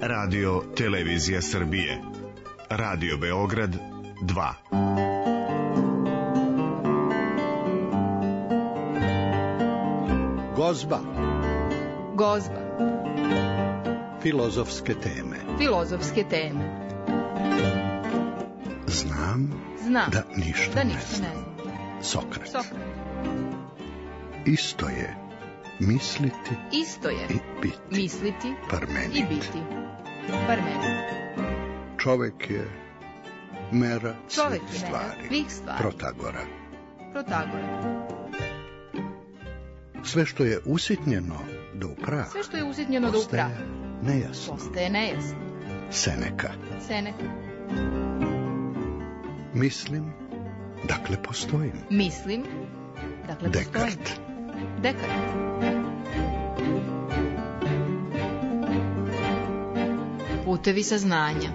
Radio Televizija Srbije. Radio Beograd 2. Gozba. Gozba. Filozofske teme. Filozofske teme. Znam da ništa ne znam. Sokrat. Isto je misliti i biti. Misliti Parmenid. i biti. Parmenid. Čovek je mera Čovek svih je mera svih stvari. Protagora. Sve što je usitnjeno do upraha. Sve što je usitnjeno do upraha. Postaje nejasno. Seneka. Mislim, dakle postojim. Dekart. Putevi saznanja.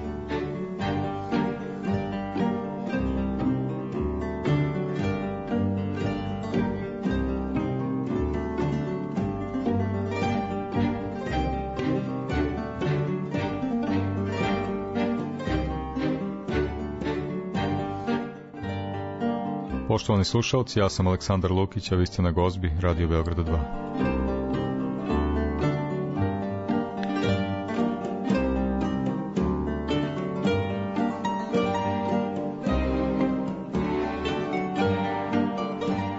Poštovani slušalci, ja sam Aleksandar Lukić, a vi ste na Gozbi, Radio Beograda 2.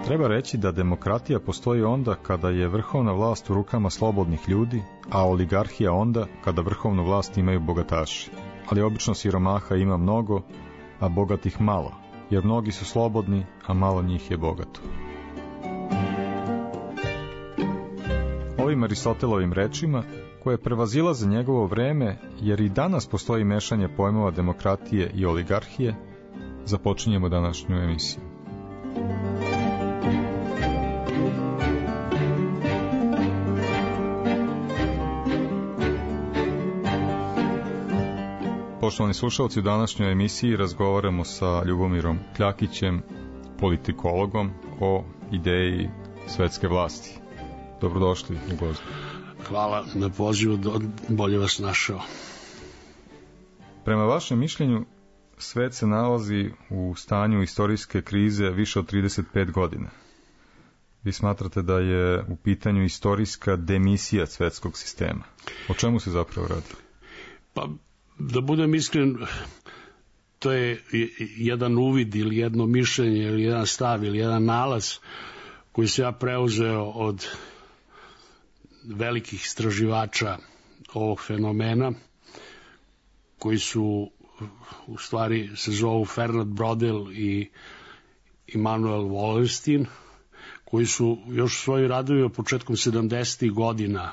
Treba reći da demokratija postoji onda kada je vrhovna vlast u rukama slobodnih ljudi, a oligarhija onda kada vrhovnu vlast imaju bogataši. Ali obično siromaha ima mnogo, a bogatih malo. Jer mnogi su slobodni, a malo njih je bogato. Ovim Aristotelovim rečima, koje prevazilaze njegovo vreme, jer i danas postoji mešanje pojmova demokratije i oligarhije, započinjemo današnju emisiju. Poštovani slušalci, u današnjoj emisiji razgovaramo sa Ljubomirom Kljakićem, politikologom, o ideji svetske vlasti. Dobrodošli u Gozbu. Hvala na pozivu, bolje vas našao. Prema vašem mišljenju, svet se nalazi u stanju istorijske krize više od 35 godina. Vi smatrate da je u pitanju istorijska demisija svetskog sistema. O čemu se zapravo radi? Pa, da budem iskren, to je jedan uvid ili jedno mišljenje ili jedan stav ili jedan nalaz koji se ja preuzeo od velikih istraživača ovog fenomena, koji su u stvari se zovu Fernand Braudel i Immanuel Wallerstein, koji su još svoji radovi početkom 70. godina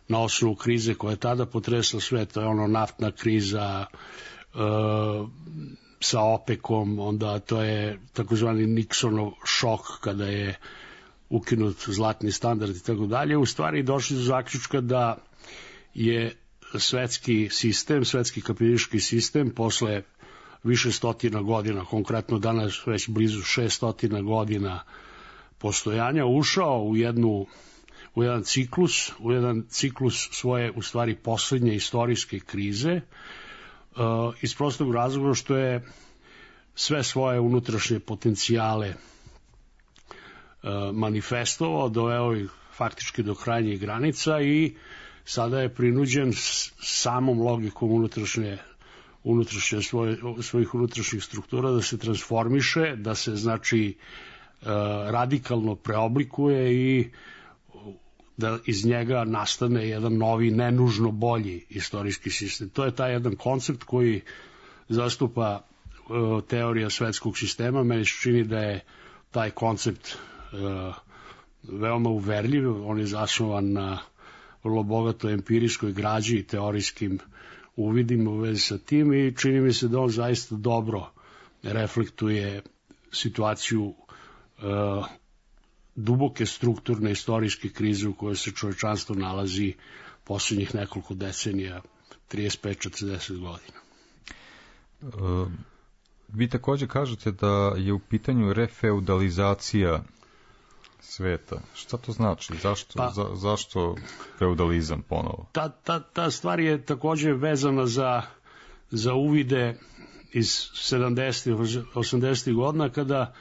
na osnovu krize koja je tada potresla svet, to je ono naftna kriza sa OPEC-om, onda to je takozvani Nixonov šok kada je ukinut zlatni standard i tako dalje. U stvari došli do zaključka da je svetski sistem, svetski kapitalistički sistem posle više stotina godina, konkretno danas već blizu 600 godina postojanja, ušao u jedan ciklus svoje, u stvari, poslednje istorijske krize, iz prostog razloga što je sve svoje unutrašnje potencijale manifestovao, doveo ih faktički do krajnjih granica i sada je prinuđen samom logikom svojih unutrašnjih struktura da se transformiše, da se, znači, radikalno preoblikuje i da iz njega nastane jedan novi, nenužno bolji istorijski sistem. To je taj jedan koncept koji zastupa teorija svetskog sistema. Meni se čini da je taj koncept veoma uverljiv. On je zasnovan na vrlo bogatoj empirijskoj građi i teorijskim uvidima u vezi sa tim i čini mi se da on zaista dobro reflektuje situaciju duboke strukturne istorijske krize u kojoj se čovečanstvo nalazi posljednjih nekoliko decenija, 35-40 godina. Vi također kažete da je u pitanju refeudalizacija sveta. Šta to znači? Zašto feudalizam ponovo? Ta stvar je takođe vezana za uvide iz 70. 80. godina, kada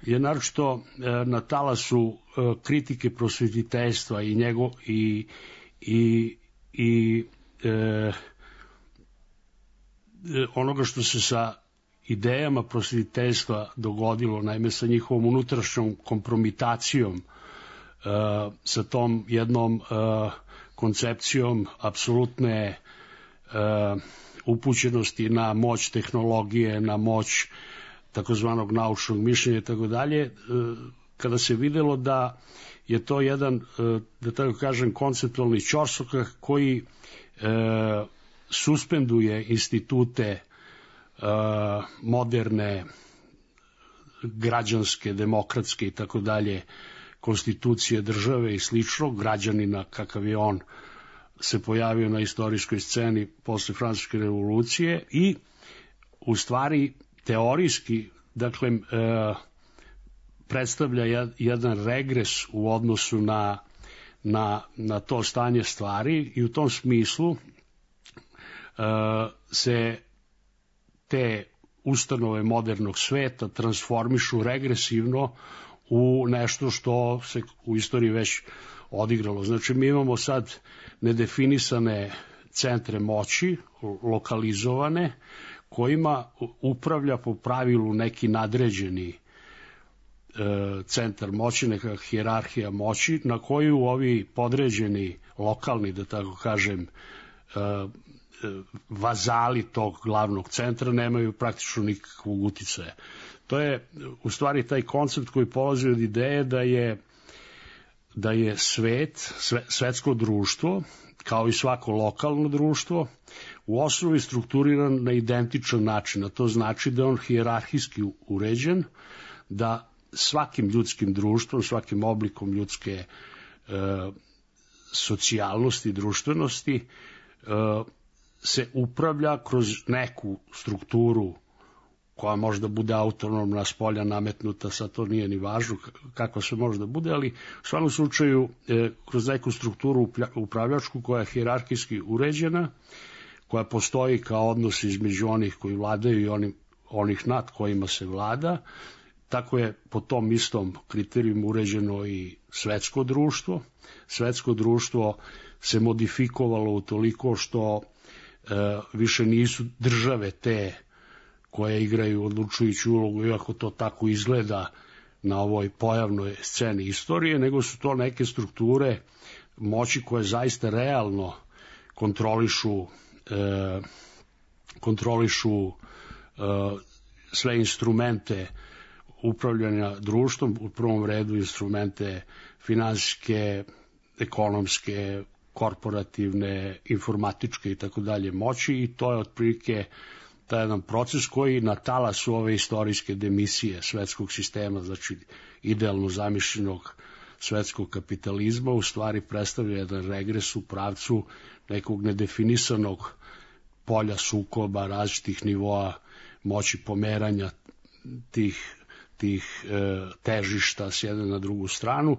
je naročito na talasu kritike prosvetiteljstva i onoga što se sa idejama prosvetiteljstva dogodilo, naime sa njihovom unutrašnjom kompromitacijom, sa tom jednom koncepcijom apsolutne upućenosti na moć tehnologije, na moć takozvanog naučnog mišljenja i tako dalje, kada se videlo da je to jedan, da tako kažem, konceptualni ćorsokak koji suspenduje institute moderne, građanske, demokratske i tako dalje konstitucije države i slično, građanina kakav je on se pojavio na istorijskoj sceni posle Francuske revolucije i u stvari teorijski, dakle, predstavlja jedan regres u odnosu na to stanje stvari i u tom smislu se te ustanove modernog sveta transformišu regresivno u nešto što se u istoriji već odigralo. Znači, mi imamo sad nedefinisane centre moći, lokalizovane, kojima upravlja po pravilu neki nadređeni centar moći, neka hijerarhija moći, na koju ovi podređeni, lokalni, da tako kažem, vazali tog glavnog centra nemaju praktično nikakvog uticaja. To je u stvari taj koncept koji polazi od ideje da je svetsko društvo, kao i svako lokalno društvo, u osnovi strukturiran na identičan način, a to znači da je on hijerarhijski uređen, da svakim ljudskim društvom, svakim oblikom ljudske socijalnosti i društvenosti se upravlja kroz neku strukturu koja možda bude autonomna, spolja nametnuta, sad to nije ni važno kako se može da bude, ali u svakom slučaju kroz neku strukturu upravljačku koja je hijerarhijski uređena, koja postoji kao odnos između onih koji vladaju i onih nad kojima se vlada. Tako je po tom istom kriterijumu uređeno i svetsko društvo. Svetsko društvo se modifikovalo utoliko što više nisu države te koje igraju odlučujuću ulogu, iako to tako izgleda na ovoj pojavnoj sceni istorije, nego su to neke strukture moći koje zaista realno kontrolišu sve instrumente upravljanja društvom, u prvom redu instrumente finansijske, ekonomske, korporativne, informatičke i tako dalje moći, i to je otprilike taj jedan proces koji na talasu ove istorijske demisije svetskog sistema, znači idealno zamišljenog svetskog kapitalizma, u stvari predstavlja jedan regres u pravcu nekog nedefinisanog polja sukoba, različitih nivoa moći pomeranja tih težišta s jedne na drugu stranu,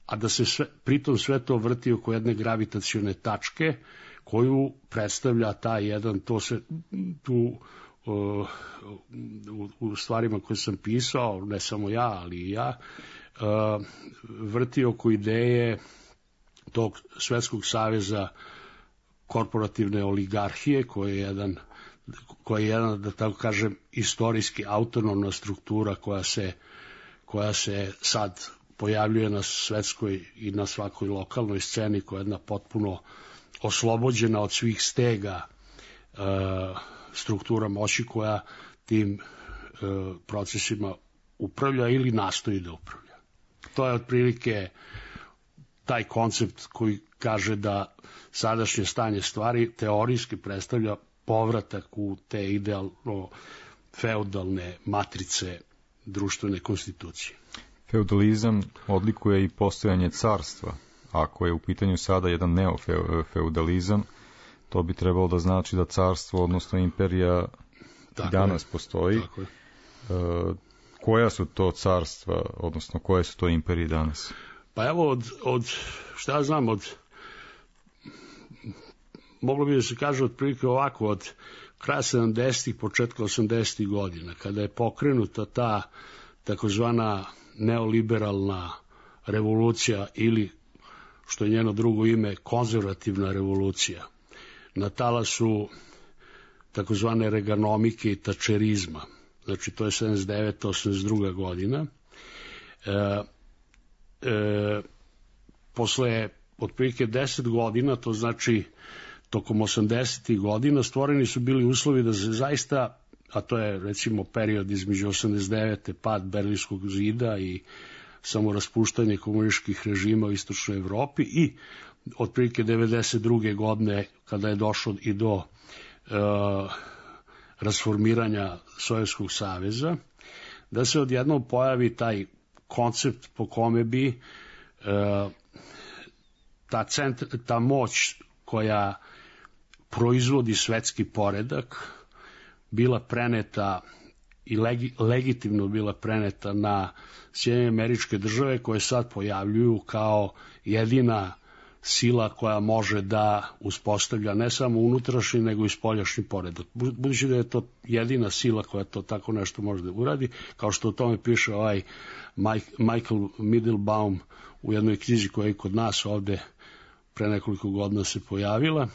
a da se pritom sve to vrti oko jedne gravitacione tačke koju predstavlja taj jedan, to se tu u stvarima koje sam pisao, ne samo ja, ali i ja, vrti oko ideje tog Svetskog saveza korporativne oligarhije, koji je jedan, da tako kažem, istorijski autonomna struktura koja se sad pojavljuje na svetskoj i na svakoj lokalnoj sceni, koja je jedna potpuno oslobođena od svih stega struktura moći koja tim procesima upravlja ili nastoji da upravlja. To je otprilike taj koncept koji kaže da sadašnje stanje stvari teorijski predstavlja povratak u te idealno feudalne matrice društvene konstitucije. Feudalizam odlikuje i postojanje carstva. Ako je u pitanju sada jedan neofeudalizam, to bi trebalo da znači da carstvo, odnosno imperija, i danas postoji. Koja su to carstva, odnosno koje su to imperije danas? Pa evo, šta ja znam, moglo bi da se kaže otprilike ovako, od kraja 70-ih, početka 80-ih godina, kada je pokrenuta ta takozvana neoliberalna revolucija ili, što je njeno drugo ime, konzervativna revolucija, na talasu takozvane reganomike i tačerizma. Znači, to je 79. 82. godina. Posle otprilike 10 godina, to znači tokom 80. godina, stvoreni su bili uslovi da se zaista, a to je recimo period između 89. pad Berlinskog zida i samoraspuštanje komunističkih režima u istočnoj Evropi i otprilike 92. godine kada je došlo i do rasformiranja Sovjetskog saveza, da se odjednom pojavi taj koncept po kome bi ta moć koja proizvodi svetski poredak bila preneta i legitimno bila preneta na Sjedinjene Američke Države, koje sad pojavljuju kao jedina sila koja može da uspostavlja ne samo unutrašnji, nego i spoljašnji poredak. Budući da je to jedina sila koja to tako nešto može da uradi, kao što o tome piše ovaj Michael Middlebaum u jednoj knjizi koja je kod nas ovde pre nekoliko godina se pojavila.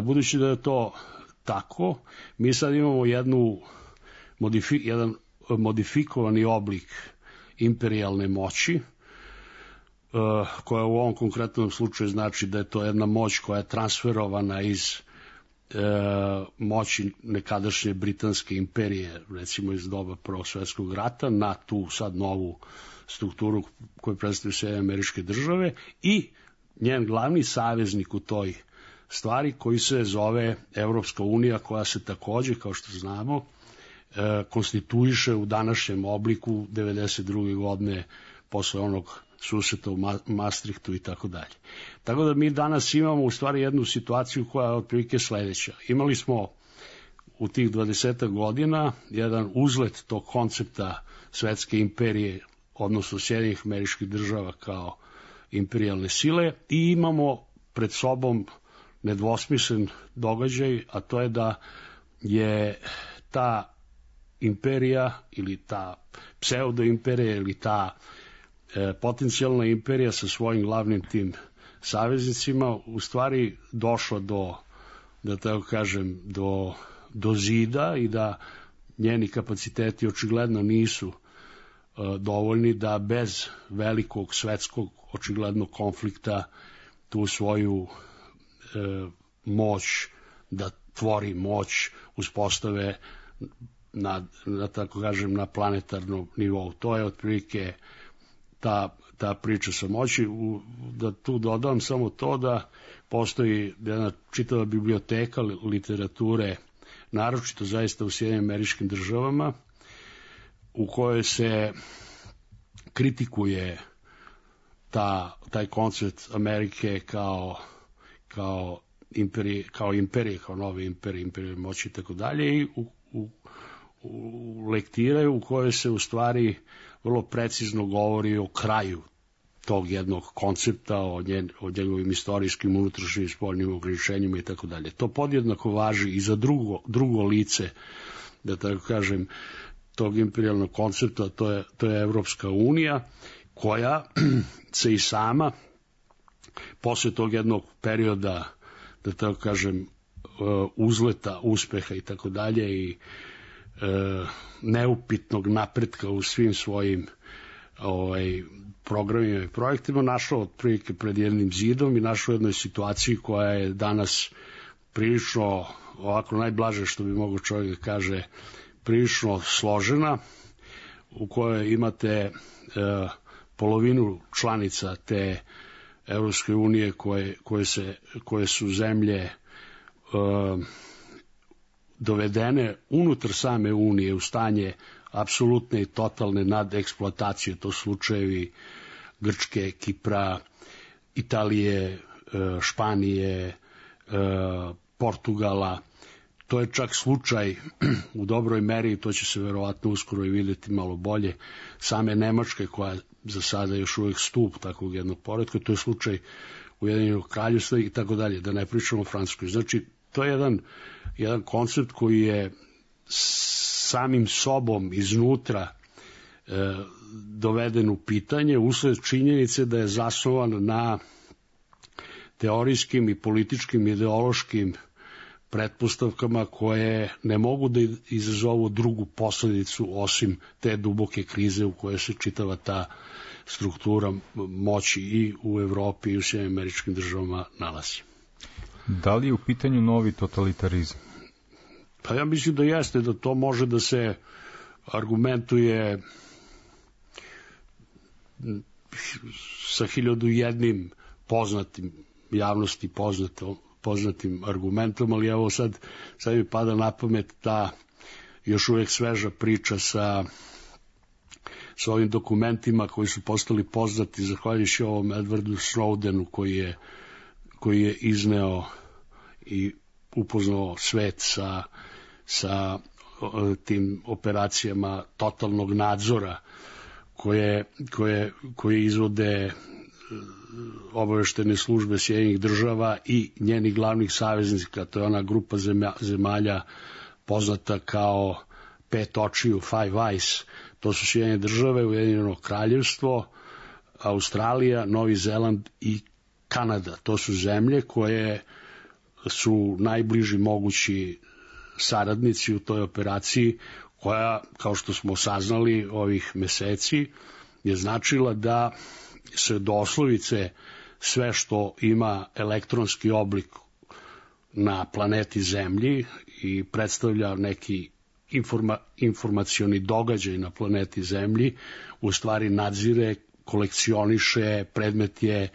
Budući da je to tako, mi sad imamo jedan modifikovani oblik imperijalne moći, koja u ovom konkretnom slučaju znači da je to jedna moć koja je transferovana iz moći nekadašnje Britanske imperije, recimo iz doba Prvog svjetskog rata, na tu sad novu strukturu koju predstavljaju Sjedinjene Američke Države i njen glavni saveznik u toj stvari koji se zove Evropska unija, koja se takođe, kao što znamo, konstituiše u današnjem obliku 92. godine posle onog susreta u Maastrichtu i tako dalje. Tako da mi danas imamo u stvari jednu situaciju koja je otprilike sledeća. Imali smo u tih 20 godina jedan uzlet tog koncepta svetske imperije, odnosno Sjedinjenih Američkih Država kao imperijalne sile, i imamo pred sobom nedvosmislen događaj, a to je da je ta imperija ili ta pseudoimperija ili ta potencijalna imperija sa svojim glavnim tim saveznicima u stvari došla do, da tako kažem, do zida i da njeni kapaciteti očigledno nisu dovoljni da bez velikog svetskog očiglednog konflikta tu svoju moć, da tvori moć, uspostave na tako kažem na planetarnom nivou. To je otprilike ta priča sa moći. Da tu dodam samo to da postoji jedna čitava biblioteka literature, naročito zaista u Sjedinjenim Američkim Državama, u kojoj se kritikuje taj koncept Amerike kao imperije, kao nove imperije moći i tako dalje, i u lektiraju u kojoj se u stvari vrlo precizno govori o kraju tog jednog koncepta, o njegovim istorijskim, unutrašnjim, spoljnim ograničenjima i tako dalje. To podjednako važi i za drugo lice, da tako kažem, tog imperijalnog koncepta, to je Evropska unija, koja se i sama posle tog jednog perioda, da tako kažem, uzleta, uspeha i tako dalje i neupitnog napretka u svim svojim programima i projektima, našao otprilike pred jednim zidom i našao u jednoj situaciji koja je danas prilično, ovako najblaže što bi mogo čovjek da kaže, prilično složena, u kojoj imate polovinu članica te Evropske unije koje su zemlje dovedene unutar same unije u stanje apsolutne i totalne nadeksploatacije. To slučajevi Grčke, Kipra, Italije, Španije, Portugala. to je čak slučaj u dobroj meri, to će se verovatno uskoro i videti malo bolje, same Nemačke, koja za sada još uvijek stup takvog jednog poretka, to je slučaj Ujedinjenog Kraljevstva i tako dalje, da ne pričamo o Francuskoj. Znači, to je jedan koncept koji je samim sobom iznutra doveden u pitanje usled činjenice da je zasnovan na teorijskim i političkim ideološkim pretpostavkama koje ne mogu da izazovu drugu posledicu osim te duboke krize u kojoj se čitava ta struktura moći i u Evropi i u Sjedinjenim Američkim Državama nalazi. Da li je u pitanju novi totalitarizam? Pa ja mislim da jeste, da to može da se argumentuje sa 1001 poznatim, javnosti poznatim argumentom, ali evo sad mi pada na pamet ta još uvijek sveža priča sa ovim dokumentima koji su postali poznati zahvaljujući ovom Edwardu Snowdenu koji je izneo i upoznao svet sa tim operacijama totalnog nadzora koje izvode obaveštene službe Sjedinjenih Država i njenih glavnih saveznika. To je ona grupa zemalja poznata kao pet očiju, Five Eyes. To su Sjedinjene Države, Ujedinjeno Kraljevstvo, Australija, Novi Zeland i Kanada. To su zemlje koje su najbliži mogući saradnici u toj operaciji, koja, kao što smo saznali ovih meseci, je značila da se doslovice sve što ima elektronski oblik na planeti Zemlji i predstavlja neki informacioni događaj na planeti Zemlji, u stvari nadzire, kolekcioniše, predmet je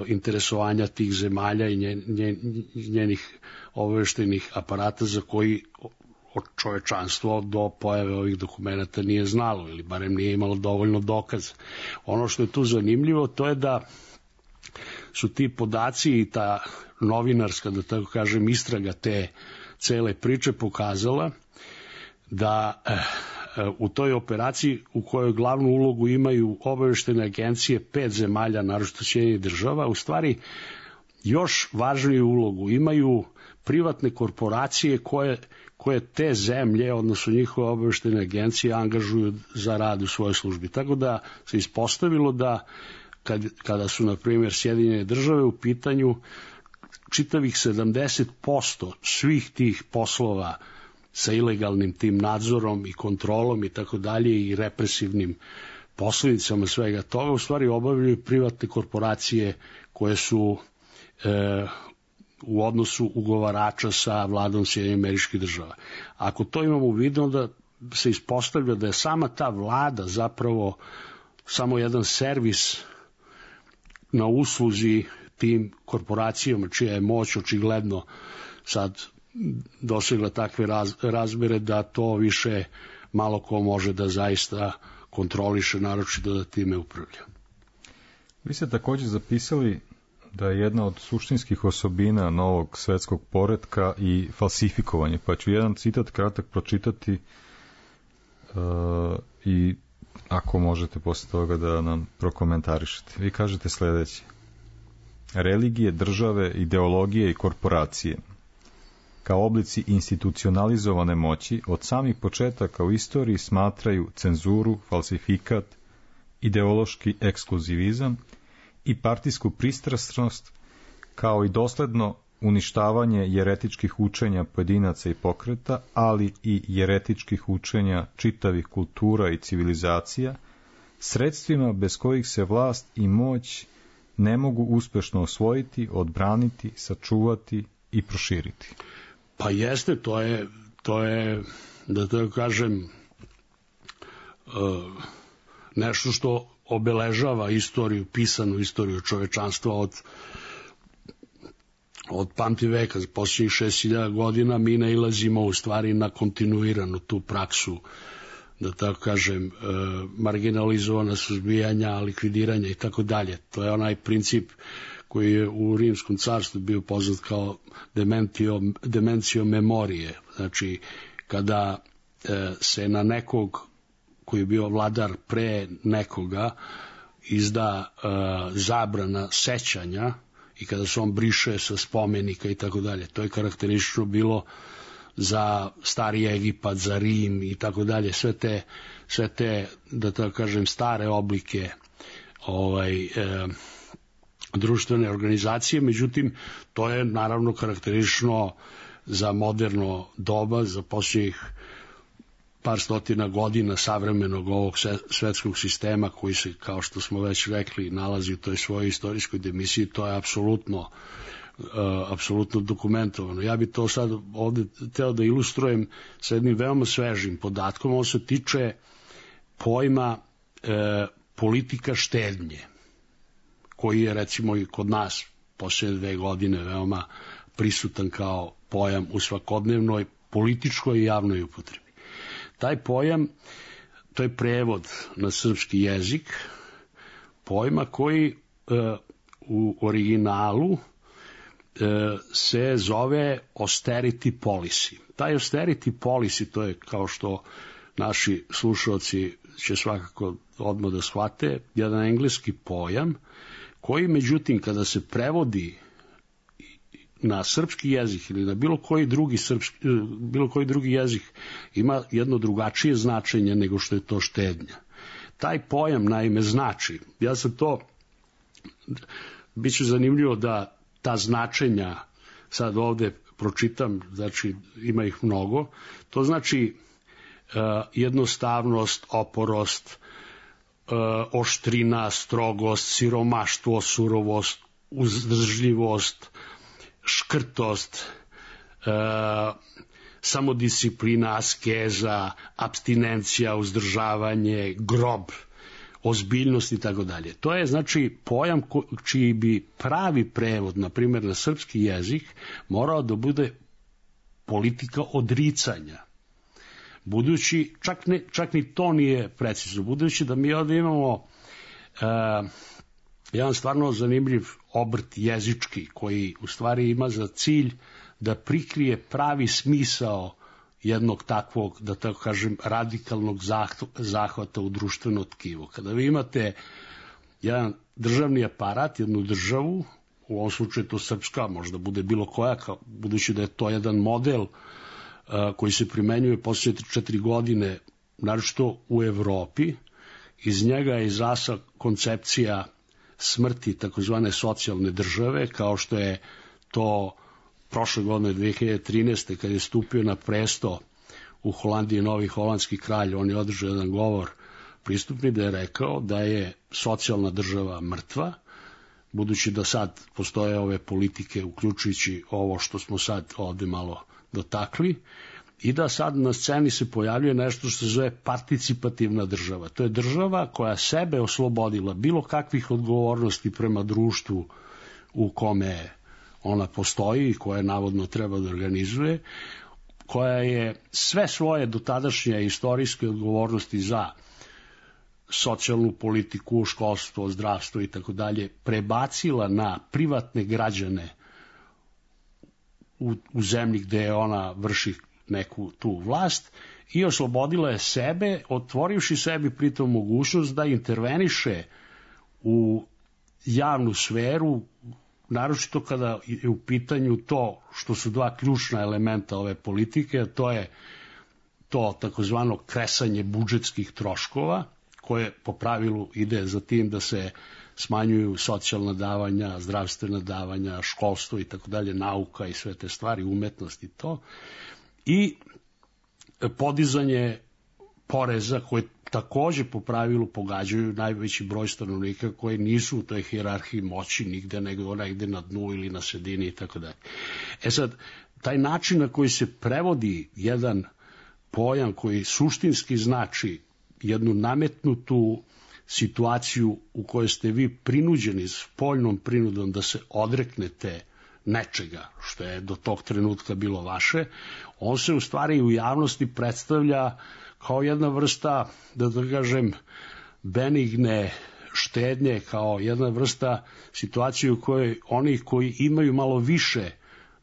interesovanja tih zemalja i njenih obaveštajnih aparata za koji čovečanstvo do pojave ovih dokumenta nije znalo ili barem nije imalo dovoljno dokaza. Ono što je tu zanimljivo to je da su ti podaci i ta novinarska, da tako kažem, istraga te cele priče pokazala da u toj operaciji u kojoj glavnu ulogu imaju obaveštene agencije 5 zemalja, naročito Sjedinjenih Država, u stvari još važniju ulogu imaju privatne korporacije koje te zemlje, odnosno njihove obaveštene agencije, angažuju za rad u svojoj službi. Tako da se ispostavilo da kada su, na primjer, Sjedinjene Države u pitanju, čitavih 70% svih tih poslova sa ilegalnim tim nadzorom i kontrolom i tako dalje i represivnim posljedicama svega toga, u stvari obavljaju privatne korporacije koje su u odnosu ugovarača sa vladom Sjedinjenih Američkih Država. Ako to imamo u vidu, onda se ispostavlja da je sama ta vlada zapravo samo jedan servis na usluzi tim korporacijama, čija je moć očigledno sad dosegla takve razmere da to više malo ko može da zaista kontroliše, naročito da time upravlja. Vi ste također zapisali da je jedna od suštinskih osobina novog svetskog poretka i falsifikovanje, pa ću jedan citat kratak pročitati i ako možete posle toga da nam prokomentarišete. Vi kažete sljedeće: religije, države, ideologije i korporacije kao oblici institucionalizovane moći od samih početaka u istoriji smatraju cenzuru, falsifikat, ideološki ekskluzivizam i partijsku pristrasnost, kao i dosledno uništavanje jeretičkih učenja pojedinaca i pokreta, ali i jeretičkih učenja čitavih kultura i civilizacija, sredstvima bez kojih se vlast i moć ne mogu uspešno osvojiti, odbraniti, sačuvati i proširiti. Pa jeste, to je da tako kažem, nešto što obeležava istoriju, pisanu istoriju čovečanstva od pamtiveka. Za posljednjih 6000 godina mi nailazimo u stvari na kontinuiranu tu praksu, da tako kažem, marginalizovana, suzbijanja, likvidiranja i tako dalje. To je onaj princip koji je u Rimskom carstvu bio poznat kao dementio memorije. Znači, kada se na nekog koji je bio vladar pre nekoga izda zabrana sećanja i kada se on briše sa spomenika i tako dalje. To je karakteristično bilo za Stari Egipat, za Rim i tako dalje. Sve te, da tako kažem, stare oblike društvene organizacije, međutim, to je naravno karakteristično za moderno doba, za posljednjih par stotina godina savremenog ovog svetskog sistema koji se, kao što smo već rekli, nalazi u toj svojoj istorijskoj demisiji. To je apsolutno dokumentovano. Ja bi to sad ovde teo da ilustrujem sa jednim veoma svežim podatkom. On se tiče pojma politika štednje, koji je recimo i kod nas posljednje 2 godine veoma prisutan kao pojam u svakodnevnoj političkoj i javnoj upotrebi. Taj pojam, to je prevod na srpski jezik pojma koji u originalu se zove austerity policy. Taj austerity policy, to je, kao što naši slušalci će svakako odmah da shvate, jedan engleski pojam koji, međutim, kada se prevodi na srpski jezik ili na bilo koji drugi jezik, ima jedno drugačije značenje nego što je to štednja. Taj pojam naime znači, ja sam to, bit će zanimljivo da ta značenja sad ovde pročitam, znači ima ih mnogo, to znači jednostavnost, oporost, oštrina, strogost, siromaštvo, surovost, uzdržljivost, škrtost, samodisciplina, askeza, apstinencija, uzdržavanje, grob, ozbiljnost i tako dalje. To je znači pojam čiji bi pravi prevod, na primjer na srpski jezik, morao da bude politika odricanja. Budući, čak ni to nije precizno, budući da mi ovdje imamo jedan stvarno zanimljiv obrt jezički, koji u stvari ima za cilj da prikrije pravi smisao jednog takvog, da tako kažem, radikalnog zahvata u društveno tkivo. Kada vi imate jedan državni aparat, jednu državu, u ovom slučaju to srpska, možda bude bilo koja, budući da je to jedan model koji se primenjuje posljednje 4 godine, naročito u Evropi, iz njega je izrasla koncepcija smrti takozvane socijalne države, kao što je to prošle godine 2013. kad je stupio na presto u Holandiji novi holandski kralj, on je održao jedan govor pristupni da je rekao da je socijalna država mrtva, budući da sad postoje ove politike, uključujući ovo što smo sad ovde malo dotakli, i da sad na sceni se pojavljuje nešto što se zove participativna država. To je država koja sebe oslobodila bilo kakvih odgovornosti prema društvu u kome ona postoji i koja navodno treba da organizuje, koja je sve svoje dotadašnje istorijske odgovornosti za socijalnu politiku, školstvo, zdravstvo i tako dalje prebacila na privatne građane u zemlji gde ona vrši neku tu vlast i oslobodila je sebe, otvorivši sebi pritom mogućnost da interveniše u javnu sferu, naročito kada je u pitanju to što su 2 ključna elementa ove politike, to je to takozvano kresanje budžetskih troškova, koje po pravilu ide za tim da se smanjuju socijalna davanja, zdravstvena davanja, školstvo i tako dalje, nauka i sve te stvari, umetnost i to, i podizanje poreza koje takođe po pravilu pogađaju najveći broj stanovnika koji nisu u toj hijerarhiji moći nigde, nego negde na dnu ili na sredini i tako dalje. E sad, taj način na koji se prevodi jedan pojam koji suštinski znači jednu nametnutu situaciju u kojoj ste vi prinuđeni s spoljnom prinudom da se odreknete nečega što je do tog trenutka bilo vaše, on se u stvari u javnosti predstavlja kao jedna vrsta, da kažem, benigne štednje kao jedna vrsta situacije u kojoj oni koji imaju malo više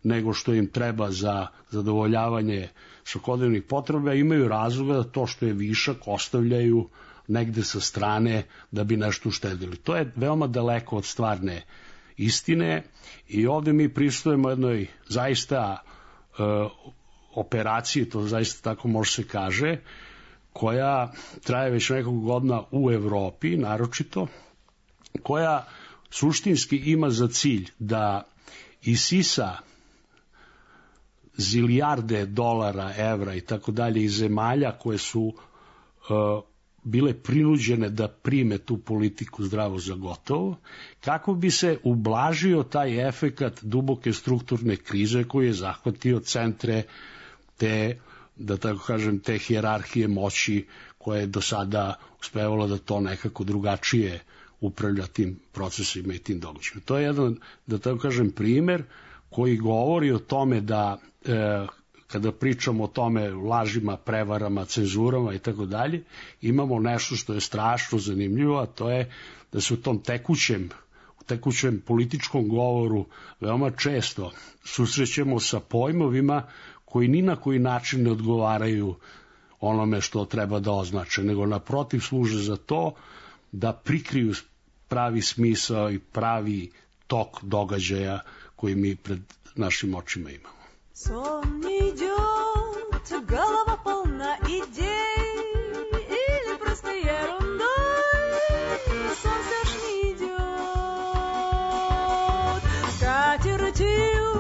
nego što im treba za zadovoljavanje svakodnevnih potreba imaju razloga da to što je višak ostavljaju negde sa strane da bi nešto uštedili. To je veoma daleko od stvarne istine i ovde mi pristupujemo jednoj zaista operaciji, to zaista tako može se kaže, koja traje već nekog godina u Evropi, naročito, koja suštinski ima za cilj da isisa zilijarde dolara, evra i tako dalje iz zemalja koje su bile prinuđene da prime tu politiku zdravo za gotovo, kako bi se ublažio taj efekat duboke strukturne krize koji je zahvatio centre te, da tako kažem, te hijerarhije moći koje je do sada uspevalo da to nekako drugačije upravlja tim procesima i tim događajima. To je jedan, da tako kažem, primer koji govori o tome da kada pričamo o tome lažima, prevarama, cenzurama i tako dalje, imamo nešto što je strašno zanimljivo, a to je da se u tom tekućem političkom govoru veoma često susrećemo sa pojmovima koji ni na koji način ne odgovaraju onome što treba da označe, nego naprotiv služe za to da prikriju pravi smisao i pravi tok događaja koji mi pred našim očima imamo. Сон не идет, голова полна идей, или просто ерундой, сон все ж не идет. Скатертью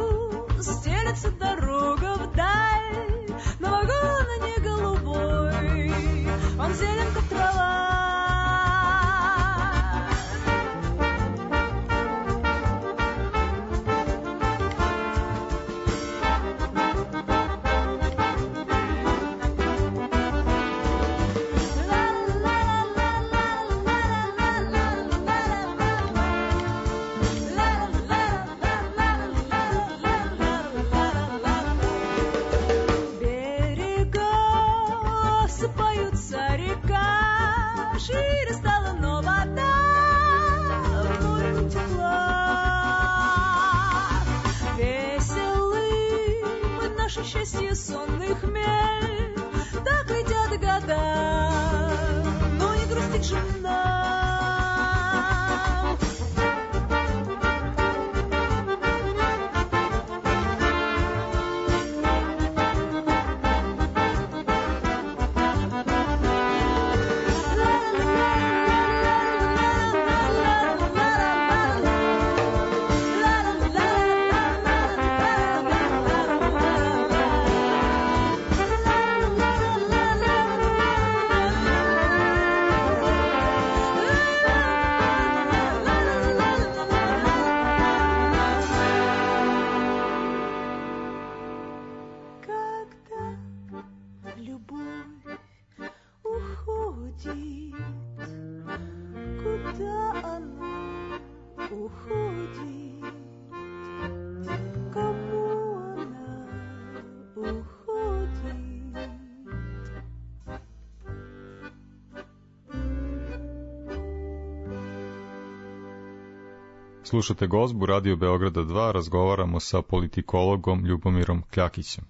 стелется дорога вдаль, но вагон не голубой, он зелен, как трава. Счастье сонный хмель, так летят года, но не грустить же нам. Slušate Gozbu Radio Beograda 2, razgovaramo sa politikologom Ljubomirom Kljakićem.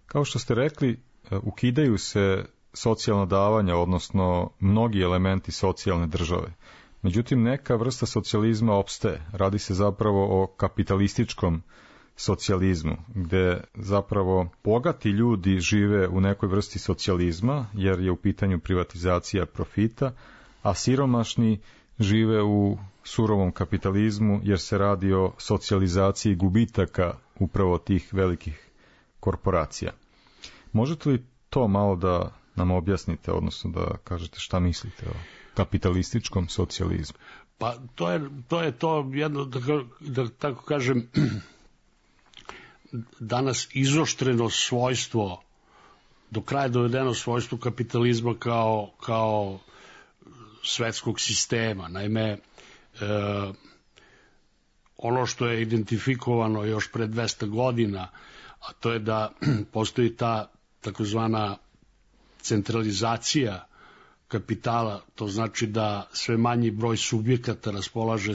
Kao što ste rekli, ukidaju se socijalna davanja, odnosno mnogi elementi socijalne države. Međutim, neka vrsta socijalizma opstaje. Radi se zapravo o kapitalističkom socijalizmu, gde zapravo bogati ljudi žive u nekoj vrsti socijalizma, jer je u pitanju privatizacija profita, a siromašni žive u surovom kapitalizmu, jer se radi o socijalizaciji gubitaka upravo tih velikih korporacija. Možete li to malo da nam objasnite, odnosno da kažete šta mislite o kapitalističkom socijalizmu? Pa to je jedno, da tako kažem, danas izoštreno svojstvo, do kraja dovedeno svojstvo kapitalizma kao svetskog sistema. Naime, ono što je identifikovano još pre 200 godina, a to je da postoji ta takozvana centralizacija kapitala, to znači da sve manji broj subjekata raspolaže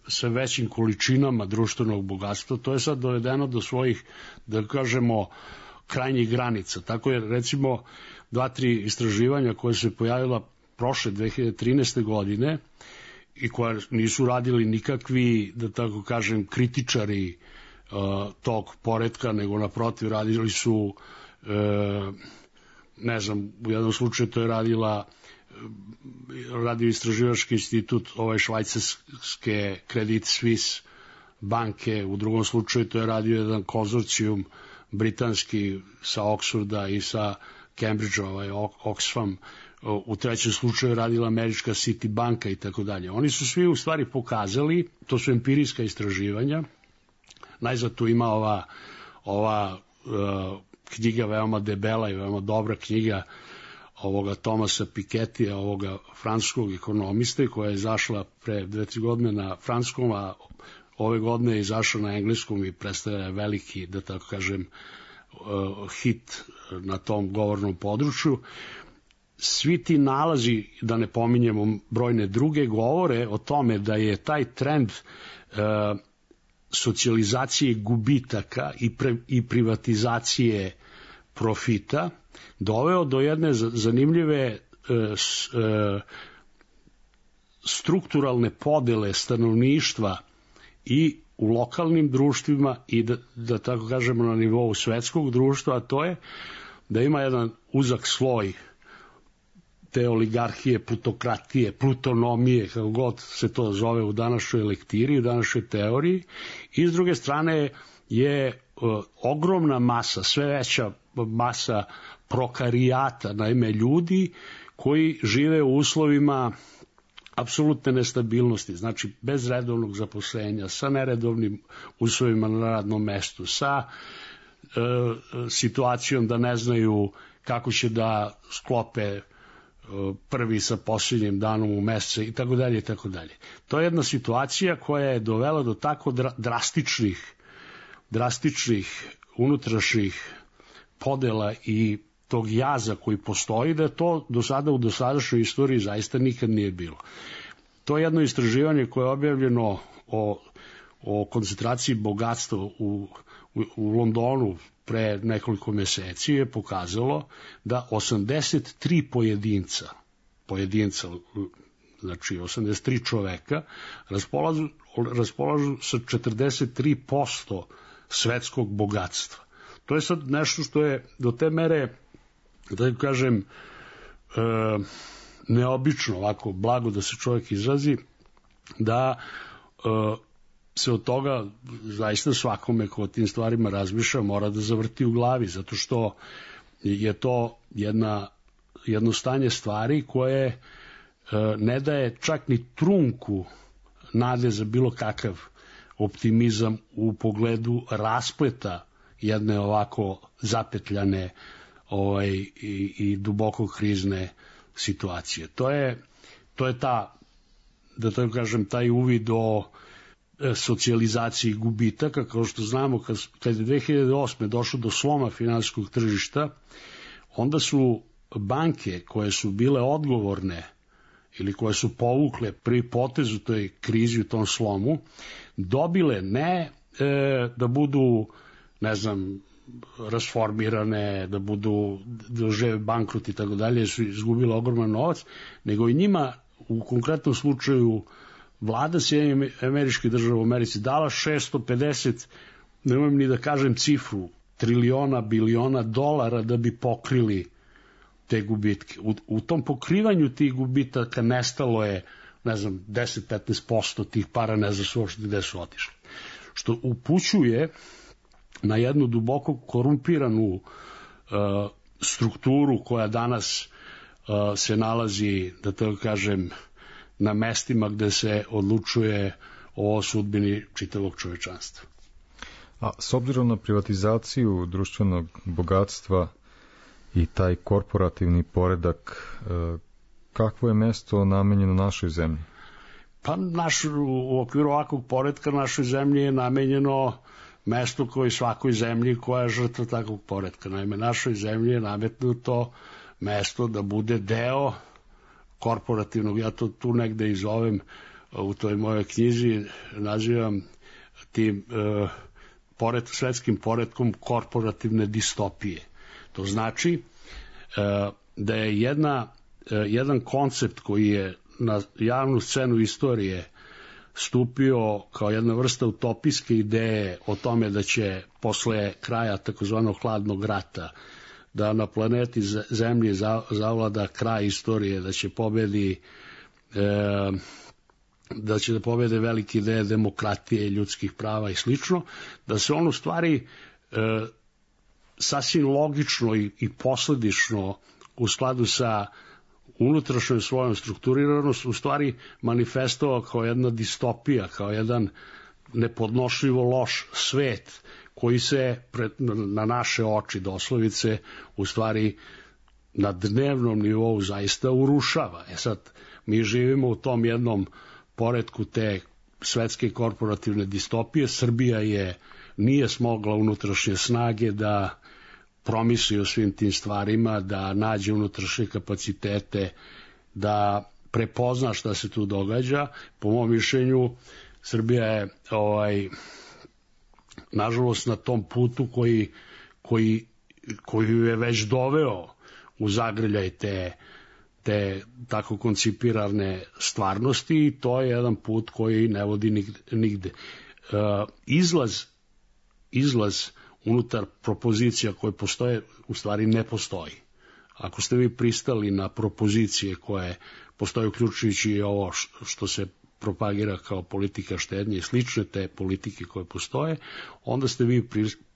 sve većim količinama društvenog bogatstva, to je sad dovedeno do svojih, da kažemo, krajnjih granica. Tako je, recimo, 2-3 istraživanja koje se pojavila prošle 2013. godine i koje nisu radili nikakvi, da tako kažem, kritičari tog poretka, nego naprotiv radili su, ne znam, u jednom slučaju to je radio istraživački institut švajcarske Credit Suisse banke, u drugom slučaju to je radio jedan konzorcijum britanski sa Oxforda i sa Cambridgea, Oxfam, u trećem slučaju radila američka City banka i tako dalje. Oni su svi u stvari pokazali, to su empirijska istraživanja, najzad tu ima ova knjiga veoma debela i veoma dobra knjiga ovoga Thomasa Pikettyja, ovoga francuskog ekonomiste, koja je izašla pre 2-3 godine na francuskom, a ove godine je izašla na engleskom i predstavlja veliki, da tako kažem, hit na tom govornom području. Svi ti nalazi, da ne pominjemo brojne druge, govore o tome da je taj trend socijalizacije gubitaka i privatizacije profita doveo do jedne zanimljive strukturalne podele stanovništva i u lokalnim društvima i da tako kažemo na nivou svetskog društva, a to je da ima jedan uzak sloj te oligarhije, plutokratije, plutonomije, kako god se to zove u današnjoj lektiri, u današnjoj teoriji, i s druge strane je ogromna masa, sve veća masa prokarijata, naime ljudi koji žive u uslovima apsolutne nestabilnosti, znači bez redovnog zaposlenja, sa neredovnim uslovima na radnom mestu, sa situacijom da ne znaju kako će da sklope prvi sa posljednjim danom u mesecu i tako dalje i tako dalje. To je jedna situacija koja je dovela do tako drastičnih unutrašnjih podela i tog jaza koji postoji, da to do sada u dosadašnjoj istoriji zaista nikad nije bilo. To je jedno istraživanje koje je objavljeno o koncentraciji bogatstva u Londonu pre nekoliko meseci, je pokazalo da 83 pojedinca, znači 83 čoveka, raspolažu sa 43% svetskog bogatstva. To je sad nešto što je do te mere, da kažem, neobično, ovako blago da se čovjek izrazi, da se od toga zaista svakome ko o tim stvarima razmišlja mora da zavrti u glavi, zato što je to jedno stanje stvari koje ne daje čak ni trunku nade za bilo kakav optimizam u pogledu raspleta jedne ovako zapetljane i duboko krizne situacije. To je ta, da tako kažem, taj uvid o socijalizaciji gubitaka. Kao što znamo, kad je 2008. došlo do sloma finansijskog tržišta, onda su banke koje su bile odgovorne ili koje su povukle prvi potez u toj krizi, u tom slomu, dobile ne da budu, ne znam, rasformirane, da dožive bankrot i tako dalje, su izgubile ogroman novac, nego i njima u konkretnom slučaju vlada Sjedinjenih Američkih Država u Americi dala 650, nemojmo ni da kažem cifru, triliona, biliona dolara da bi pokrili te gubitke. U tom pokrivanju tih gubitaka nestalo je, ne znam, 10-15% tih para, ne znaš uopšte gde su otišli. Što upućuje na jednu duboko korumpiranu strukturu koja danas se nalazi, da tako kažem, na mestima gde se odlučuje o sudbini čitavog čovečanstva. A s obzirom na privatizaciju društvenog bogatstva i taj korporativni poredak, kakvo je mesto namenjeno našoj zemlji? Pa u okviru ovakvog poredka našoj zemlji je namenjeno mesto koje svakoj zemlji koja je žrtva takvog poredka. Naime, našoj zemlji je nametnuto mesto da bude deo korporativnog, ja to tu negde i zovem, u toj mojoj knjizi nazivam tim svetskim poretkom korporativne distopije. To znači da je jedan koncept koji je na javnu scenu istorije stupio kao jedna vrsta utopijske ideje o tome da će posle kraja takozvanog hladnog rata da na planeti Zemlji zavlada kraj istorije, da će da pobede velike ideje demokratije, ljudskih prava i slično, da se on u stvari sasvim logično i posledično u skladu sa unutrašnjom svojom strukturiranost u stvari manifestovao kao jedna distopija, kao jedan nepodnošljivo loš svet koji se na naše oči doslovice u stvari na dnevnom nivou zaista urušava. Sad, mi živimo u tom jednom poretku te svetske korporativne distopije. Srbija nije smogla unutrašnje snage da promisli o svim tim stvarima, da nađe unutrašnje kapacitete, da prepozna šta se tu događa. Po mom mišljenju, Srbija je nažalost na tom putu koji je već doveo u zagrljaj te tako koncipirane stvarnosti, i to je jedan put koji ne vodi nigde. Izlaz unutar propozicija koje postoje u stvari ne postoji. Ako ste vi pristali na propozicije koje postoje, uključujući i ovo što se propagira kao politika štednje i slične te politike koje postoje, onda ste vi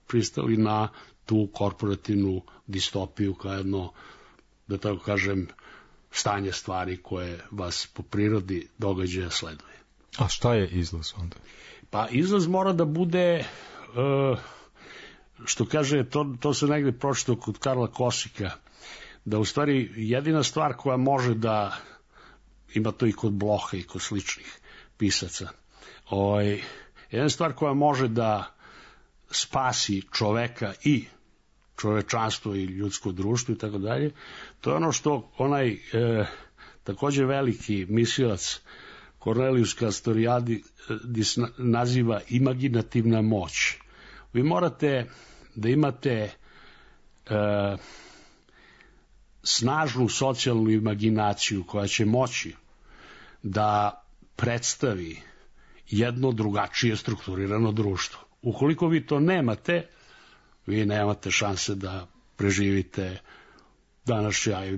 pristali na tu korporativnu distopiju kao jedno, da tako kažem, stanje stvari koje vas po prirodi događaja sleduje. A šta je izlaz onda? Pa izlaz mora da bude, što kaže, to se negde pročitao kod Karla Kosika, da u stvari jedina stvar koja može da, ima to i kod Bloha i kod sličnih pisaca, jedna stvar koja može da spasi čoveka i čovečanstvo i ljudsko društvo i tako dalje, to je ono što onaj takođe veliki mislilac Cornelius Castoriadis naziva imaginativna moć. Vi morate da imate snažnu socijalnu imaginaciju koja će moći da predstavi jedno drugačije strukturirano društvo. Ukoliko vi to nemate, vi nemate šanse da preživite današnja i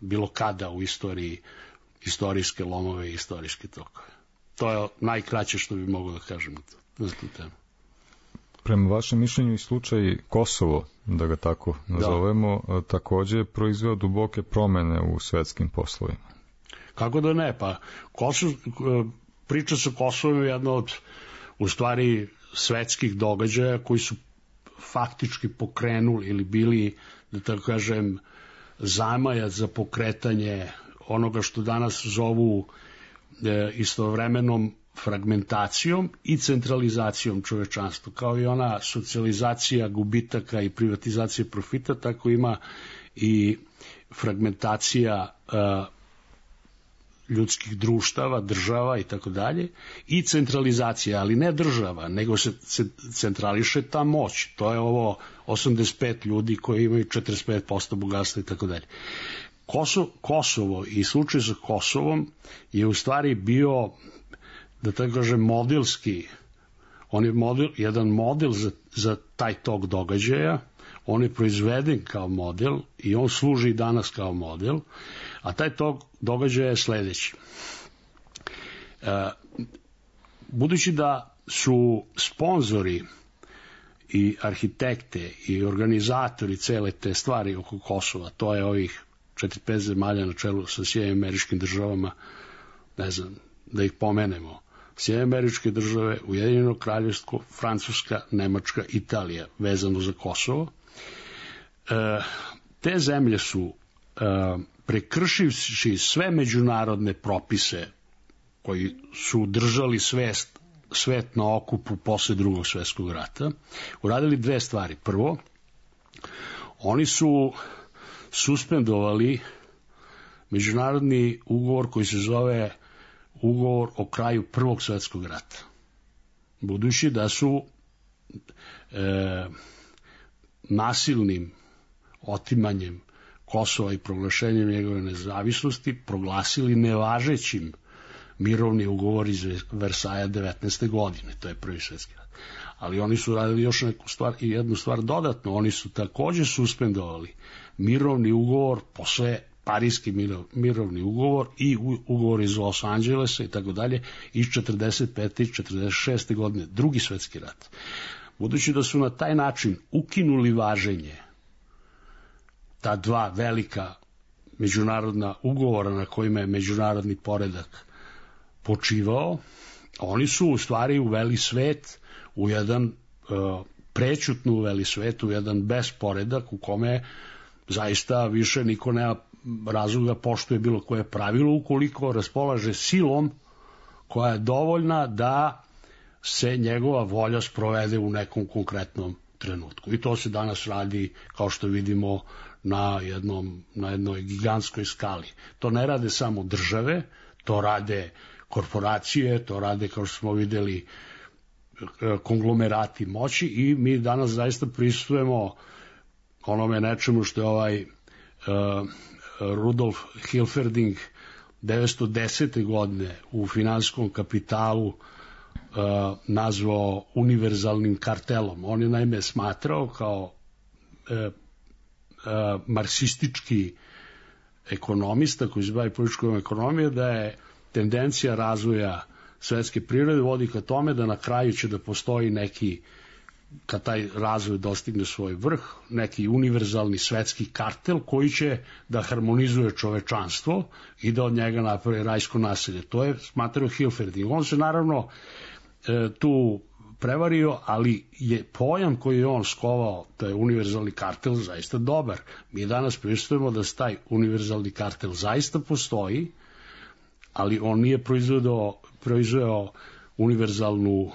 bilo kada u istoriji, istorijske lomove i istorijske tokove. To je najkraće što bi mogao da kažem na tu temu. Prema vašem mišljenju i slučaj Kosovo, da ga tako nazovemo, takođe proizveo duboke promene u svetskim poslovima. Kako da ne? Pa priča sa Kosovom je jedna od, u stvari, svetskih događaja koji su faktički pokrenuli ili bili, da tako kažem, zamajac za pokretanje onoga što danas zovu istovremenom fragmentacijom i centralizacijom čovečanstva. Kao i ona socijalizacija gubitaka i privatizacija profita, tako ima i fragmentacija ljudskih društava, država i tako dalje, i centralizacija, ali ne država, nego se centrališe ta moć. To je ovo 85 ljudi koji imaju 45% bogatstva i tako dalje. Kosovo i slučaj sa Kosovom je u stvari bio, da tako kažem, modelski. On je jedan model za taj tok događaja. On je proizveden kao model i on služi i danas kao model, a taj tok događaja je sledeći. Budući da su sponzori i arhitekte i organizatori cele te stvari oko Kosova, to je ovih 4-5 zemalja na čelu sa Sjedinjenim Američkim Državama, ne znam, da ih pomenemo, Sjedinjene Američke Države, Ujedinjeno Kraljevstvo, Francuska, Nemačka, Italija, vezano za Kosovo. Te zemlje su, prekršivši sve međunarodne propise koji su držali svet na okupu posle Drugog svjetskog rata, uradili dve stvari. Prvo, oni su suspendovali međunarodni ugovor koji se zove ugovor o kraju Prvog svjetskog rata. Budući da su nasilnim otimanjem Kosova i proglašenjem njegove nezavisnosti proglasili nevažećim mirovni ugovor iz Versaja 19. godine, to je Prvi svjetski rat. Ali oni su radili još neku stvar i jednu stvar dodatno, oni su takođe suspendovali mirovni ugovor, posle Parijski mirovni ugovor i ugovor iz Los Angelesa i tako dalje iz 45. i 46. godine, Drugi svjetski rat. Budući da su na taj način ukinuli važenje ta dva velika međunarodna ugovora na kojima je međunarodni poredak počivao, oni su u stvari uveli svet u jedan prećutno uveli svet u jedan besporedak u kome zaista više niko nema razloga poštuje bilo koje pravilo ukoliko raspolaže silom koja je dovoljna da se njegova volja sprovede u nekom konkretnom trenutku. I to se danas radi, kao što vidimo, na jednoj gigantskoj skali. To ne rade samo države, to rade korporacije, to rade, kao što smo videli, konglomerati moći i mi danas zaista prisustujemo onome nečemu što je Rudolf Hilferding 1910. godine u Finansijskom kapitalu nazvao univerzalnim kartelom. On je naime smatrao kao marksistički ekonomista koji se bavi političkom ekonomijom da je tendencija razvoja svetske prirode vodi ka tome da na kraju će da postoji neki, kad taj razvoj dostigne svoj vrh, neki univerzalni svetski kartel koji će da harmonizuje čovečanstvo i da od njega napravi rajsko naselje. To je smatrao Hilferding. On se naravno tu prevario, ali je pojam koji je on skovao, to je univerzalni kartel, zaista dobar. Mi danas pristojimo da taj univerzalni kartel zaista postoji, ali on nije proizveo univerzalnu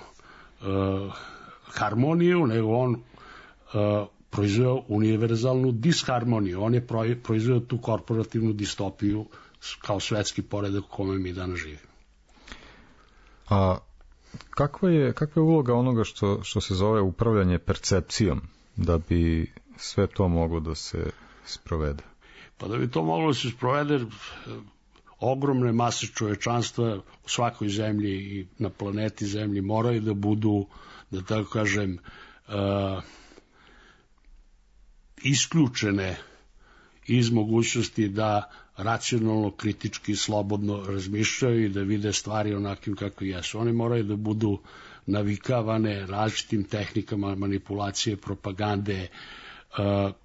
harmoniju, nego on proizveo univerzalnu disharmoniju. On je proizveo tu korporativnu distopiju kao svetski poredak u kome mi danas živimo. A kakva je uloga onoga što se zove upravljanje percepcijom da bi sve to moglo da se sprovede? Pa da bi to moglo da se sprovede, ogromne mase čovečanstva u svakoj zemlji i na planeti Zemlji moraju da budu, da tako kažem, isključene iz mogućnosti da racionalno, kritički, slobodno razmišljaju i da vide stvari onakim kako jesu. One moraju da budu navikavane različitim tehnikama manipulacije, propagande,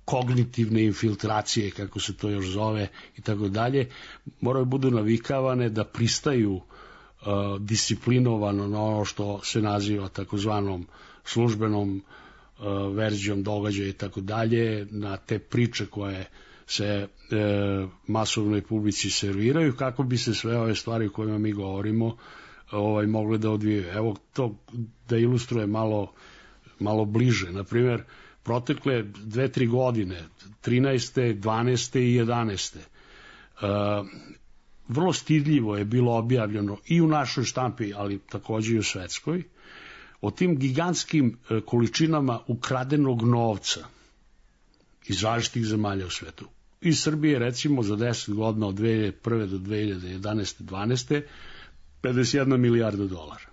kognitivne infiltracije, kako se to još zove, i tako dalje. Moraju budu navikavane da pristaju disciplinovano na ono što se naziva takozvanom službenom verzijom događaja i tako dalje, na te priče koje se masovnoj publici serviraju, kako bi se sve ove stvari o kojima mi govorimo mogle da odvijaju. Evo to da ilustruje malo bliže. Na primjer, protekle 2-3 godine, 13. 12. i 11. Vrlo stidljivo je bilo objavljeno i u našoj štampi, ali takođe i u svetskoj, o tim gigantskim količinama ukradenog novca iz različitih zemalja u svetu. Iz Srbije, recimo, za 10 godina od 2001. do 2011. 12. 51 milijarda dolara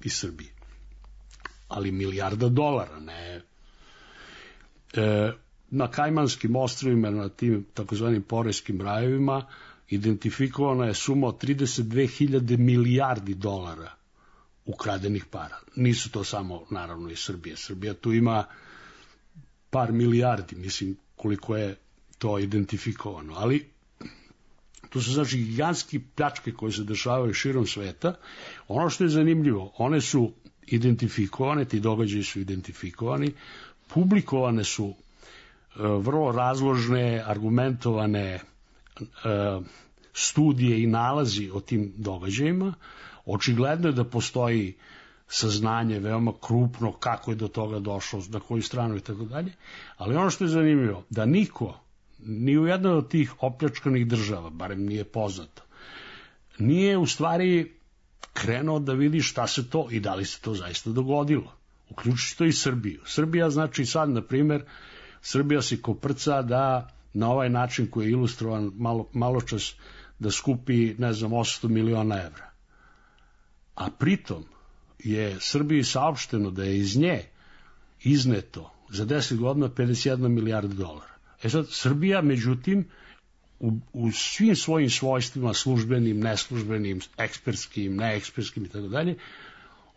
iz Srbije. Ali milijarda dolara, ne. Na Kajmanskim ostrvima, na tim takozvanim porejskim rajevima, identifikovana je suma od 32.000 milijardi dolara ukradenih para. Nisu to samo, naravno, iz Srbije. Srbija tu ima par milijardi, mislim, koliko je to identifikovano. Ali to su znači gigantski pljačke koje se dešavaju širom sveta. Ono što je zanimljivo, one su identifikovane, ti događaji su identifikovani, publikovane su vrlo razložne, argumentovane studije i nalazi o tim događajima. Očigledno je da postoji saznanje veoma krupno kako je do toga došlo, na koju stranu i tako dalje, ali ono što je zanimljivo, da niko ni u jednoj od tih opljačkanih država, barem nije poznato, nije u stvari krenuo da vidi šta se to i da li se to zaista dogodilo. Uključujući to i Srbiju. Srbija znači sad, na primer, Srbija se koprca da na ovaj način koji je ilustrovan malo čas da skupi, 800 miliona evra. A pritom je Srbiji saopšteno da je iz nje izneto za 10 godina 51 milijarda dolara. Sad, Srbija, međutim, u svim svojim svojstvima, službenim, neslužbenim, ekspertskim, neekspertskim itd.,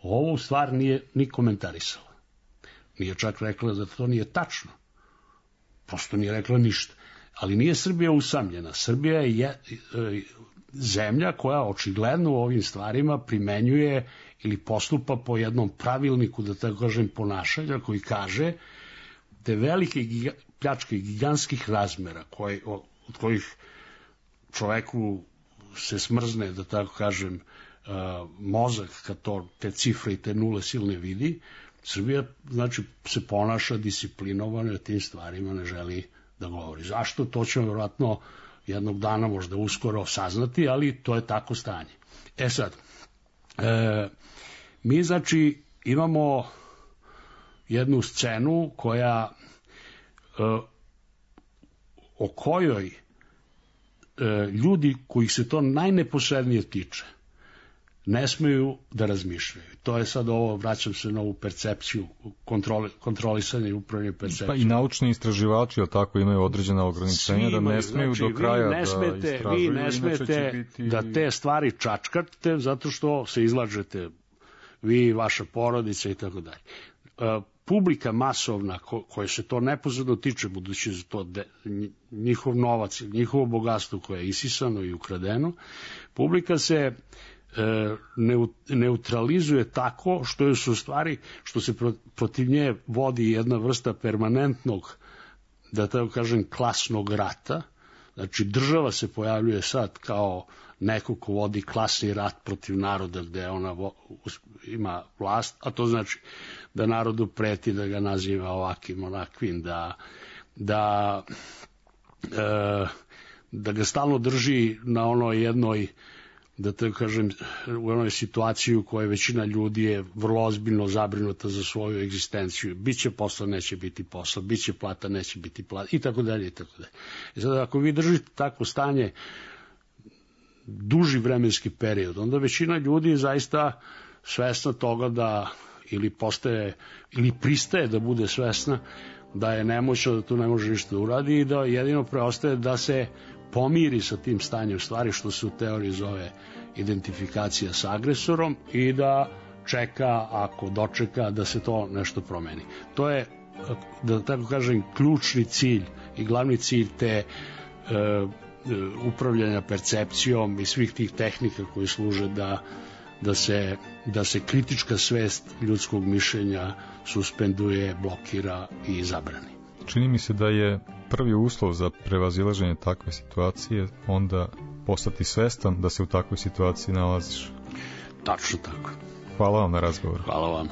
ovo u stvar nije ni komentarisala. Nije čak rekla da to nije tačno. Prosto nije rekla ništa. Ali nije Srbija usamljena. Srbija je zemlja koja očigledno u ovim stvarima primenjuje ili postupa po jednom pravilniku, da tako kažem, ponašanja, koji kaže te velike pljačke gigantskih razmera, od kojih čoveku se smrzne, da tako kažem, mozak kad te cifre i te nule silne vidi, Srbija znači se ponaša disciplinovano i o tim stvarima ne želi da govori. Zašto? To ćemo vjerojatno jednog dana možda uskoro saznati, ali to je tako stanje. Sad, mi znači imamo jednu scenu o kojoj ljudi kojih se to najneposrednije tiče ne smeju da razmišljaju. To je sad ovo, vraćam se na ovu percepciju, kontrolisanje i upravljanje percepcijom. Pa i naučni istraživači, ali tako, imaju određena ograničenja da ne smeju do kraja da istražuju. Vi ne smete da te stvari čačkate zato što se izlažete vi, vaša porodica i tako dalje. Publika masovna koja se to neposredno tiče, budući za to njihov novac, njihovo bogatstvo koje je isisano i ukradeno, publika se neutralizuje tako što su stvari, što se protiv nje vodi jedna vrsta permanentnog, da tako kažem, klasnog rata. Znači država se pojavljuje sad kao neko ko vodi klasni rat protiv naroda gde ona ima vlast, a to znači da narodu preti, da ga naziva ovakvim, onakvim, da ga stalno drži na onoj jednoj, da tako kažem, u onoj situaciji u kojoj većina ljudi je vrlo ozbiljno zabrinuta za svoju egzistenciju. Biće posla, neće biti posla, biće plata, neće biti plata, i tako dalje, i tako dalje. I sad, ako vi držite takvo stanje duži vremenski period, onda većina ljudi je zaista svesna toga da ili pristaje da bude svesna da je nemoćna, da tu ne može ništa da uradi i da jedino preostaje da se pomiri sa tim stanjem stvari, što se u teoriji zove identifikacija sa agresorom, i da čeka, ako dočeka, da se to nešto promeni. To je, da tako kažem, ključni cilj i glavni cilj te upravljanja percepcijom i svih tih tehnika koji služe da se kritička svest ljudskog mišljenja suspenduje, blokira i zabrani. Čini mi se da je prvi uslov za prevazilaženje takve situacije onda postati svestan da se u takvoj situaciji nalaziš. Tačno tako. Hvala vam na razgovor. Hvala vam.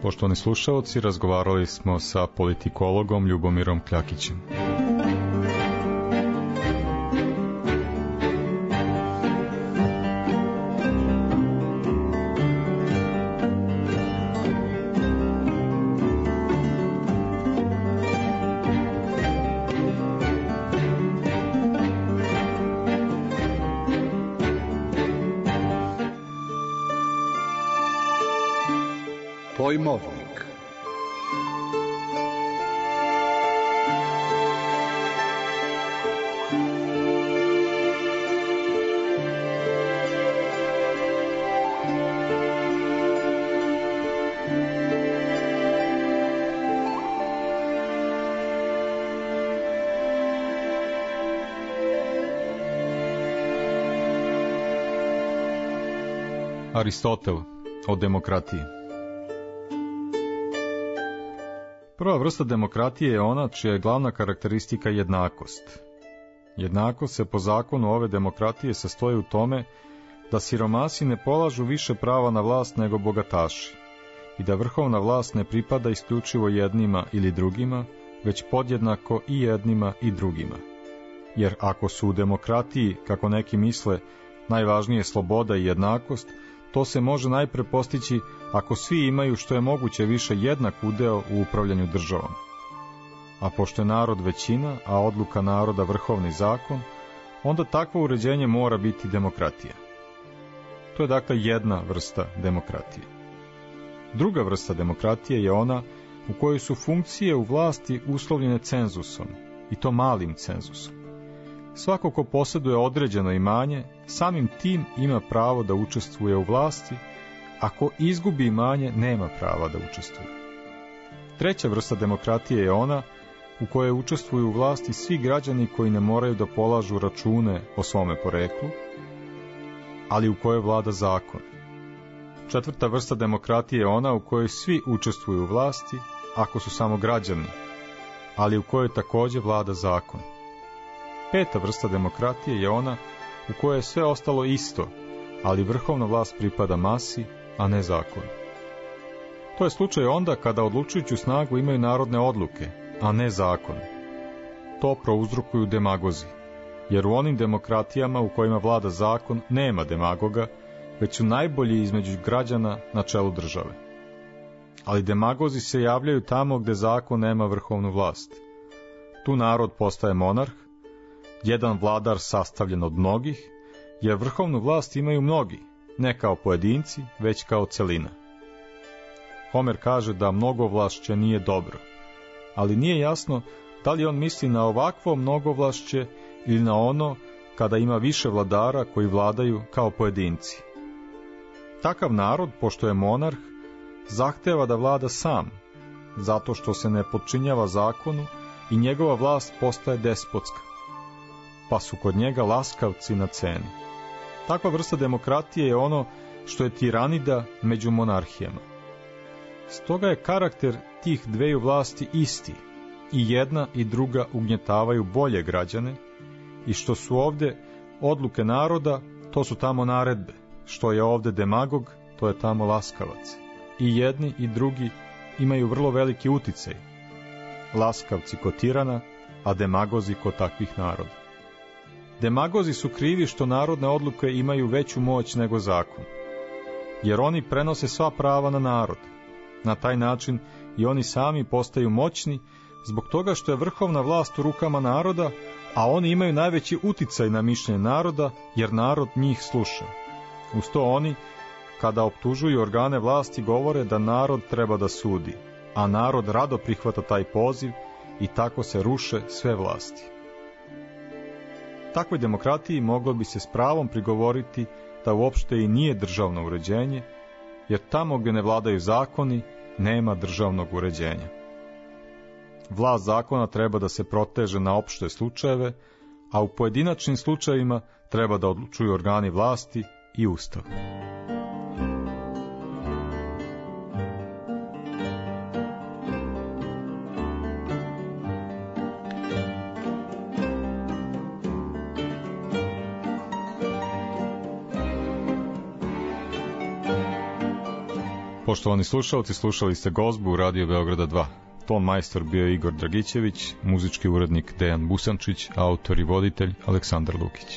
Poštovani slušaoci, razgovarali smo sa politikologom Ljubomirom Kljakićem. Pojmovnik. Aristotel o demokratiji. Prva vrsta demokratije je ona čija je glavna karakteristika jednakost. Jednakost se po zakonu ove demokratije sastoji u tome da siromasi ne polažu više prava na vlast nego bogataši i da vrhovna vlast ne pripada isključivo jednima ili drugima, već podjednako i jednima i drugima. Jer ako su u demokratiji, kako neki misle, najvažnije sloboda i jednakost, to se može najpre postići ako svi imaju što je moguće više jednak udeo u upravljanju državom. A pošto je narod većina, a odluka naroda vrhovni zakon, onda takvo uređenje mora biti demokratija. To je dakle jedna vrsta demokratije. Druga vrsta demokratije je ona u kojoj su funkcije u vlasti uslovljene cenzusom, i to malim cenzusom. Svako ko posjeduje određeno imanje, samim tim ima pravo da učestvuje u vlasti, a ko izgubi imanje, nema prava da učestvuje. Treća vrsta demokratije je ona u kojoj učestvuju u vlasti svi građani koji ne moraju da polažu račune o svome poreklu, ali u kojoj vlada zakon. Četvrta vrsta demokratije je ona u kojoj svi učestvuju u vlasti, ako su samo građani, ali u kojoj također vlada zakon. Peta vrsta demokratije je ona u kojoj je sve ostalo isto, ali vrhovna vlast pripada masi, a ne zakonu. To je slučaj onda kada odlučujuću snagu imaju narodne odluke, a ne zakon. To prouzrokuju demagozi, jer u onim demokratijama u kojima vlada zakon nema demagoga, već su najbolji između građana na čelu države. Ali demagozi se javljaju tamo gde zakon nema vrhovnu vlast. Tu narod postaje monarh, jedan vladar sastavljen od mnogih, jer vrhovnu vlast imaju mnogi, ne kao pojedinci, već kao celina. Homer kaže da mnogovlašće nije dobro, ali nije jasno da li on misli na ovakvo mnogovlašće ili na ono kada ima više vladara koji vladaju kao pojedinci. Takav narod, pošto je monarh, zahteva da vlada sam, zato što se ne podčinjava zakonu i njegova vlast postaje despotska, pa su kod njega laskavci na ceni. Takva vrsta demokratije je ono što je tiranida među monarhijama. Stoga je karakter tih dveju vlasti isti, i jedna i druga ugnjetavaju bolje građane, i što su ovde odluke naroda, to su tamo naredbe, što je ovde demagog, to je tamo laskavac. I jedni i drugi imaju vrlo veliki uticaj, laskavci kod tirana, a demagozi kod takvih naroda. Demagozi su krivi što narodne odluke imaju veću moć nego zakon, jer oni prenose sva prava na narod. Na taj način i oni sami postaju moćni zbog toga što je vrhovna vlast u rukama naroda, a oni imaju najveći uticaj na mišljenje naroda, jer narod njih sluša. Uz to oni, kada optužuju organe vlasti, govore da narod treba da sudi, a narod rado prihvata taj poziv i tako se ruše sve vlasti. Takvoj demokratiji moglo bi se s pravom prigovoriti da uopšte i nije državno uređenje, jer tamo gdje ne vladaju zakoni, nema državnog uređenja. Vlast zakona treba da se proteže na opšte slučajeve, a u pojedinačnim slučajevima treba da odlučuju organi vlasti i Ustav. Poštovani slušalci, slušali ste Gozbu u Radio Beograda 2. Ton majstor bio je Igor Dragićević, muzički urednik Dejan Busančić, autor i voditelj Aleksandar Lukić.